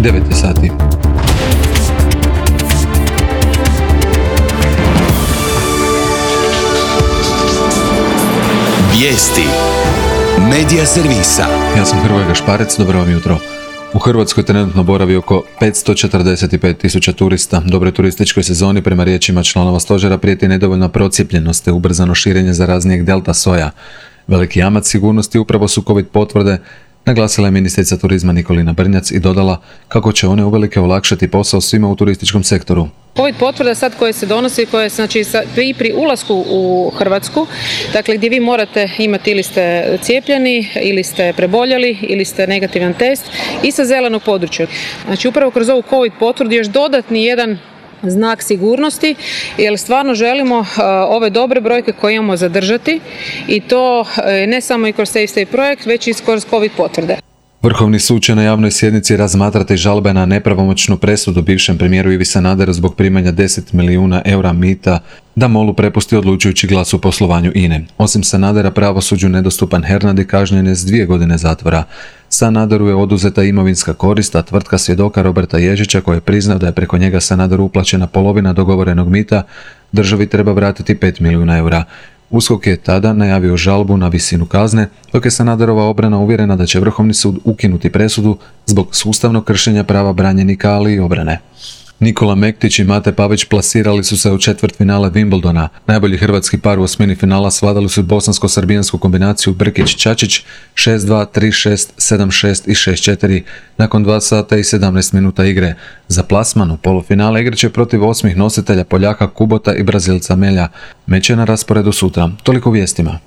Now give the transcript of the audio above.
9 sati. Vijesti Medija servisa. Ja sam Hrvoje Gašparec, dobro vam jutro. U Hrvatskoj trenutno boravi oko 545.000 turista. Dobroj turističkoj sezoni prema riječima članova stožera prijeti nedovoljna procijepljenost te ubrzano širenje zaraznijeg delta soja. Veliki jamac sigurnosti upravo su COVID potvrde, naglasila je ministrica turizma Nikolina Brnjac i dodala kako će one uvelike olakšati posao svima u turističkom sektoru. COVID potvrda sad koje se donosi, koje znači i pri ulasku u Hrvatsku, dakle gdje vi morate imati ili ste cijepljeni, ili ste preboljeli, ili ste negativan test i sa zelenog područja. Znači upravo kroz ovu COVID potvrdu još dodatni jedan znak sigurnosti, jer stvarno želimo ove dobre brojke koje imamo zadržati i to ne samo i kroz Safe Stay projekt, već i kroz COVID potvrde. Vrhovni sud će na javnoj sjednici razmatrati žalbe na nepravomoćnu presudu bivšem premijeru Ivi Sanaderu zbog primanja 10 milijuna eura mita da MOL-u prepusti odlučujući glas u poslovanju INA-e. Osim Sanadera, pravosuđu nedostupan Hernadi kažnjen je s 2 godine zatvora. Sanaderu je oduzeta imovinska korist, a tvrtka svjedoka Roberta Ježića, koji je priznao da je preko njega Sanaderu uplaćena polovina dogovorenog mita, državi treba vratiti 5 milijuna eura. USKOK je tada najavio žalbu na visinu kazne, dok je Sanaderova obrana uvjerena da će Vrhovni sud ukinuti presudu zbog sustavnog kršenja prava branjenika, ali i obrane. Nikola Mektić i Mate Pavić plasirali su se u četvrtfinale Wimbledona. Najbolji hrvatski par u osmini finala svladali su bosansko-srbijansku kombinaciju Brkić-Čačić 6-2, 3-6, 7-6 i 6-4 nakon 2 sata i 17 minuta igre. Za plasman u polufinale igraće protiv 8 nositelja Poljaka Kubota i Brazilca Melja. Meč je na rasporedu sutra. Toliko vijestima.